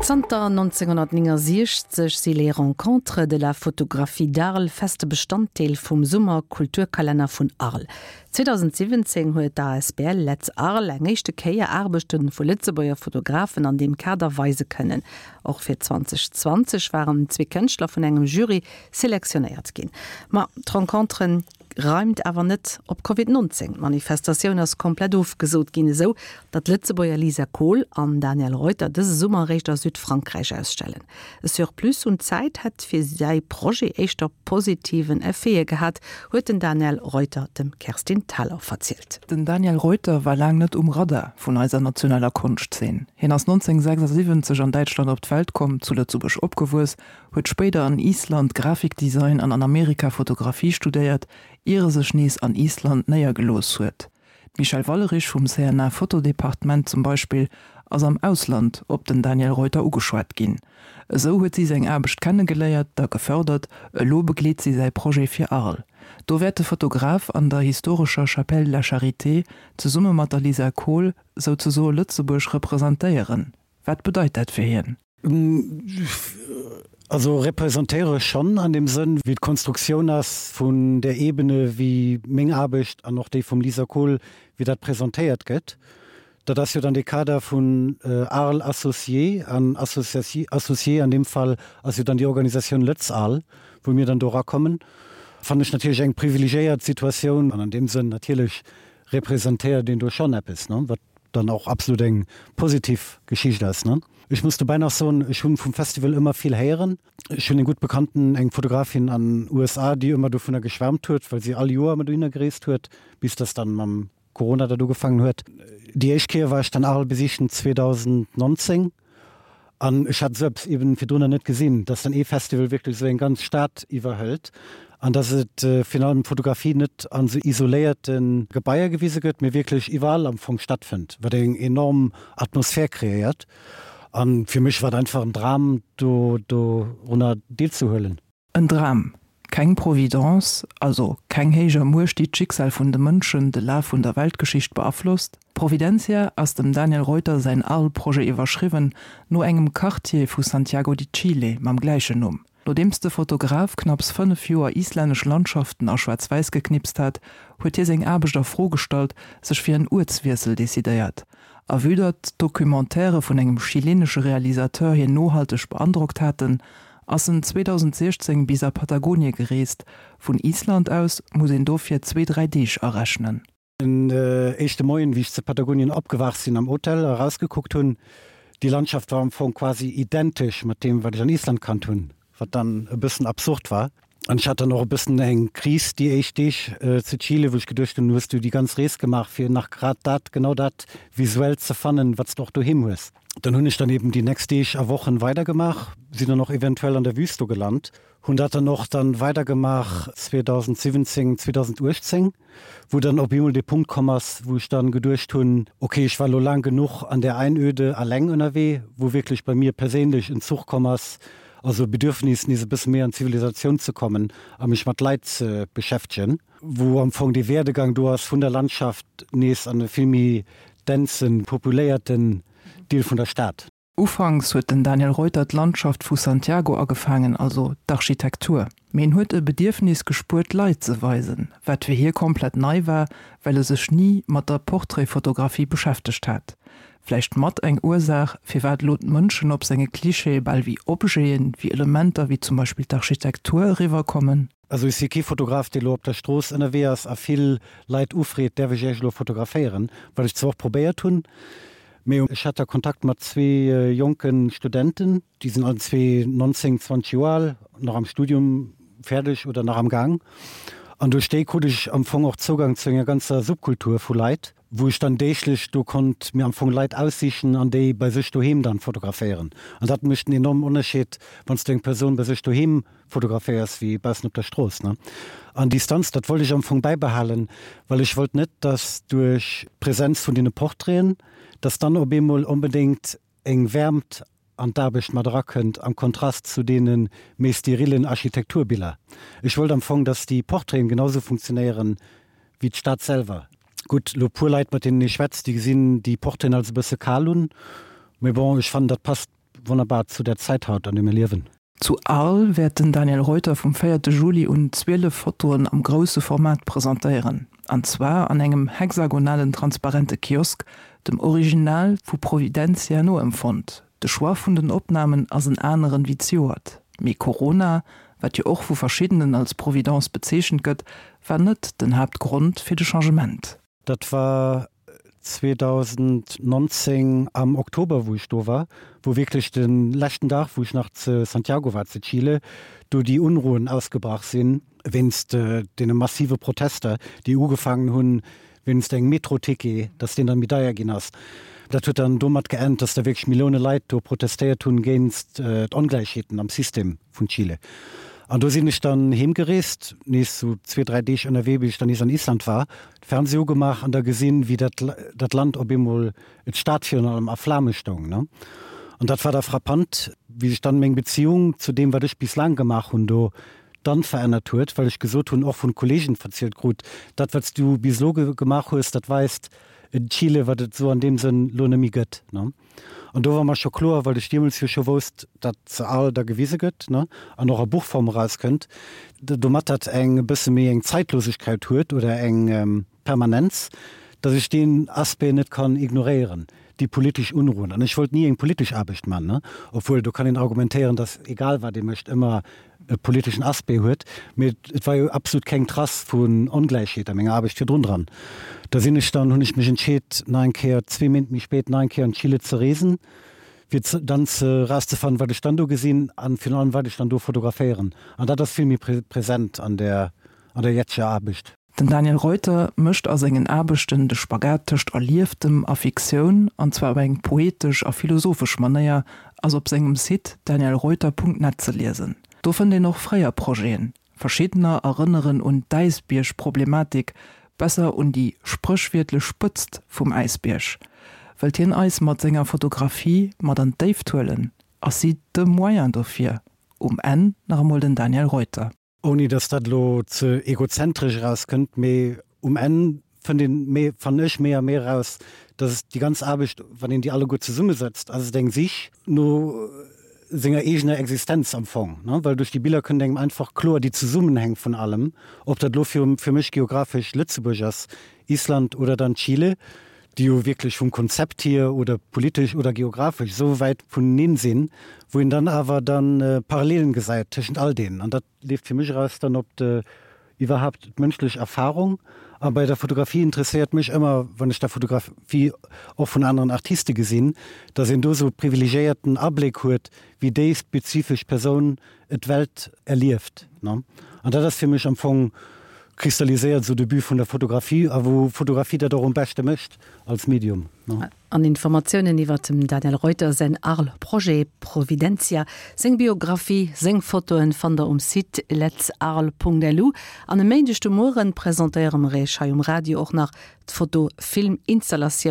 Zanter 1969 si Les Rencontres de la Photographie d'Arles feste Bestanddeel vum Summer-Kulturkalenner vun Arles. 2017 huet d'ASBL Letz Arles eng éischte Kéier Aarbechte vu Lëtzebuerger Fotografen an deem Kader weise kënnen. Och fir 2020 waren zwee Kënschtler vun engem Jury selektionéiert ginn. Ma d'Rencontren reimt awer net op Covid 19. D'Manifestatioun ass komplett ofgesot ginn, esou datt d'Lëtzebuerger Lisa Kohl an Daniel Reuter dëse Summer eréischt a Südfrankräich ausstellen. E Surplus un Zäit hätt fir säi Projet éischter positiven Effete gehat, huet den Daniel Reuter dem Kerstin Thalau verzielt. Den Daniel Reuter war laang net um Radar vun eiser nationaler Konschtzeen. Hien ass 1976 an Däitschland op d'Welt komm, zu Lëtzebuerg opgewuess, huet spéider an Island Grafikdesign an an Amerika Fotografie studéiert, ier e sech nees an Island néiergelooss huet. D'Michèle Wallerich vum CNA Fotodepartement zum Beispill ass am Ausland op den Daniel Reuter ugeschwat ginn. Esou huet si seng Aarbecht kennegeléiert, da gefërdert, elo begleet si säi Projet fir Arles. Do wäert de Fotograf an der historescher Chapelle de la Charité zesumme mat der Lisa Kohl souzesoe Lëtzebuerg representéieren. Wat bedeit dat fir hien? Also representéiere schonn an deem Sënn, wéi d'Konstruktioun ass vun där Ebene, wéi meng Aarbecht an och déi vum Lisa Kohl, wéi dat presentéiert gëtt. Dat ass jo dann dee Kader vun Arles Associés an Associés an deem Fall ass jo dann déi Organisatioun Lëtz Arles, wou mir dann do erakommen. Fannen ech natierlech eng privilegiéiert Situatioun an an deem Sënn natierlech representéiert een do schonn eppes, wat dann och absolut eng positiv Geschicht ass, ne? Ech muss dobäi nach soen, ech hunn vum Festival ëmmer vill héieren. Ech hunn eng gutt Bekannten, eng Fotografin an USA, déi ëmmer dovunner geschwärmt huet, well si all Joer ëmmer dohinner gereest huet, bis dass dann mam Corona dat ugefaangen huet. Déi éischt Kéier war ech dann Arles besichen 2019. An ech hat esou eppes eben virdrunner net gesinn, dass dann ee Festival wierklech esou eng ganz Stad iwwerhëlt an dass et virun allem d'Fotografie net an esou isoléierte Gebaier gewise gëtt, mee wierklech iwwerall am Fong stattfënnt, wat eng enorm Atmosphär kreéiert. A fir mech war et einfach en Dram, do dorunner deelzehuelen. En Dram, keng Providence, also keng héijer Muecht, déi d'Schicksal vun de Mënschen, de Laf vun der Weltgeschicht beaflosst. Providencia ass dem Daniel Reuter säin Arles-Projet iwwerschriwwen, no engem Quartier vu Santiago de Chile mam gläichen Numm. Nodeems de Fotograf knapps 5 Joer islännesch Landschaften a Schwaarz-Wäiss geknipst hat, huet hie seng Aarbecht a Fro gestallt, sech fir en Uertswiessel decidéiert. A vue datt d'Documentairë vun engem chilenesche Realisateur hien nohalteg beandrockt haten, ass en 2016 bis a Patagonie gereest. Vun Island aus muss een dofir zwee, dräi Deeg arechnen. Den éischte Moien, wéi ech zu Patagonien opgewaacht sinn, am Hotel erausgekuckt hunn, déi Landschaft war am Fong quasi identesch mat deem, wat ech an Island kannt hunn, wat dann e bëssen absurd war. An ech hat dann och e bëssen eng Kris déi éischt Deeg zu Chile, wou ech geduecht hunn, hues du déi ganz Rees gemaach, fir nach grad dat, genau dat visuell ze fannen, wat s de och doheem hues. Dann hunn ech dann eben déi nächst Deeg a Wochen weidergemaach, sinn dann och eventuell an der Wüst do gelant, hunn dat dann och dann weidergemaach 2017, 2018, wou dann op eemol dee Punkt komm ass, wou ech dann geduecht hunn, okay, ech war elo laang genuch an där Einöde alleng ënnerwee, wou wierklech bei mir perséinlech en Zuch komm ass, also e Bedürfnis nees e bësse méi an d'Zivilisatioun ze kommen a mech mat Leit ze beschäftegen. Wou am Fong dee Werdegang do ass vun der Landschaft nees an e vill méi densen, populéierten Deel vun der Stad. Ufanks huet den Daniel Reuter d'Landschaft vu Santiago agefaangen, also d'Architektur. Mee en huet e Bedierfnis gespuert Leit ze weisen, wat fir hie komplett nei war, well e sech ni mat der Portraitfotografie beschäftegt hat. Vläicht mat eng Ursaach, firwat elo d'Mënschen op senge Klischeeë bal wéi Objeten, wéi Elementer wéi zum Beispill d'Architektur eriwwerkommen. Also ech si kee Fotograf, dee lo op der Strooss ënnerwee ass a vill Leit ufreet, däerf ech Iech elo fotograféieren? Wat ech zwar och probéiert hunn, mee ech hat da Kontakt mat zwee jonke Studenten, déi sinn allen zwee 19, 20 Joer al, nach am Studium fäerdeg oder nach am Gaang, an duerch déi krut ech am Fong och Zougang zu enger ganzer Subkultur vu Leit, wou ech dann deeglech do konnt mir am Fong Leit aussichen an déi bei sech doheem dann fotograféieren. An dat mécht en enormen Ënnerscheed, wann s du eng Persoun bei sech doheem fotograféiers wéi baussen op der Strooss, ne. An Distanz, dat wollt ech am Fong bäibehalen, well ech wollt net, dass duerch d'Präsenz vun deene Portraiten, dass dann op eemol onbedéngt eng Wäermt an d'Aarbecht mat erakënnt, am Kontrast zu deene méi sterillen Architekturbiller. Ech wollt am Fong, dass déi Portraiten genau sou funktionéieren wéi d'Stad selwer. Gutt, elo puer Leit, mat deenen ee schwätzt, déi gesinn déi Portraiten als e bësse kal un, mee bon, ech fannen, dat passt. wonnerbar zu der Zäit haut, an där mir liewen. Zu Arles wäert den Daniel Reuter vum véierte Juli un 12 Fotoen am grousse Format presentéieren, an zwar an engem hexagonalen transparente Kiosk, dem Original vu Providencia noempfonnt. De Choix vun den Opnamen ass en aneren wéi zejoert, mee Corona, wat jo och vu verschiddenen als Providence bezeechent gëtt, war net den Haaptgrond fir de Changement. Dat war 2019 am Oktober, wou ech do war, wou wierklech de leschten Dag, wou ech nach zu Santiago war, zu Chile, do déi Unruhen ausgebrach sinn, wéinst deene massive Protester, déi ugefaangen hunn wéinst engem Metro-Ticket, dass deen dann méi deier ginn ass. Dat huet dann domat geend, dass da wierklech Millioune Leit do protestéiert hunn géinst d'Ongläichheeten am System vun Chile. An do sinn ech dann heemgereest, nees sou zwee, dräi Deeg ënnerwee, bis ech dann nees an Island war, de Fernseh ugemaach an da gesinn, wéi dat dat Land op eemol, d'Stad virun allem, a Flame stoung, ne. An dat war da frappant, wéi sech dann meng Beziung zu deem, wat ech bis laang gemaach hunn do, dann verännert huet, well ech gesot hunn, och vun Kollegen verzielt krut, dat wat s du bis elo gemaach hues, dat weist en Chile, wat et esou an deem Sënn lo net méi gëtt, ne. An do war mer scho kloer, well ech deemools jo scho wousst, datt se al da gewise gëtt, ne, an och a Buchform erauskënnt, domat dat eng e bësse méi eng Zeitlosegkeit huet oder eng Permanenz, datt ech deen Aspect net kann ignoréieren, déi politesch Unruhen. An ech wollt ni eng politesch Aarbecht man, ne, obwuel do kann een argumentéieren, datt egal wat ee mécht ëmmer e politeschen Aspect huet, mee et war jo absolut keng Trace vun Ongläichheet a menger Aarbecht virdrun dran. Da sinn ech dann, hunn ech mech entscheet, nach eng Kéier, zwee Méint méi spéit, nach eng Kéier an Chile ze reesen, fir dann ze erauszefannen, wat ech dann do gesinn an virun allem, wat ech dann do fotograféieren. An dat ass vill méi present an der, an der jetzeger Aarbecht. Den Daniel Reuter mécht a sengen Aarbechten de Spagat tëscht Erlieftem a Fiktioun, an zwar op eng poetesch a philosophesch Manéier, ass op sengem Site danielreuter.net ze liesen. Do fënnt een och fréier Projeten. Verschiddener erënneren un d'Äisbierg-Problematik, besser un déi spréchwiertlech Spëtzt vum Äisbierg. Wëllt hien eis mat senger Fotografie mat an d'Déift huelen? Ass si de Moyen dofir? Um Enn nach emol den Daniel Reuter. Ouni dass dat elo ze egozentresch erauskënnt, mee um Enn fënnt een méi, fannen ech, méi a méi eraus, dass et déi ganz Aarbecht, wann een déi alleguer zesummesetzt, ass et eng Sich no senger eegener Existenz am Fong, ne? Well duerch déi Biller kënnt engem einfach kloer déi Zesummenhäng vun allem, ob dat elo fir fir mech geographesch Lëtzebuerg ass, Island oder dann Chile, déi jo wierklech vum Konzept hier oder politesch oder geographesch esou wäit vuneneen sinn, wou een dann awer dann Parallelen gesäit tëschent all deenen. An dat leeft fir mech eraus dann op de iwwerhaapt d'mënschlech Erfahrung. A bei der Fotografie interesséiert mech ëmmer, wann ech da Fotografie och vun aneren Artiste gesinn, datt een do esou e privilegiéierten Abléck huet, wéi déi spezifesch Persoun et d'Welt erlieft. An dat ass fir mech am Fong kristalliséiert esou de But vun der Fotografie a wou Fotografie dat och um beschte mécht als Medium. An Informatiounen iwwer dem Daniel Reuter säin Arles-Projet Providentia, seng Biographie, seng Fotoen fannt der um Site letsarles.lu. An e Méindeg de Mueren presentéiere mer Iech hei um Radio och nach d'Foto-Film-Installatioun.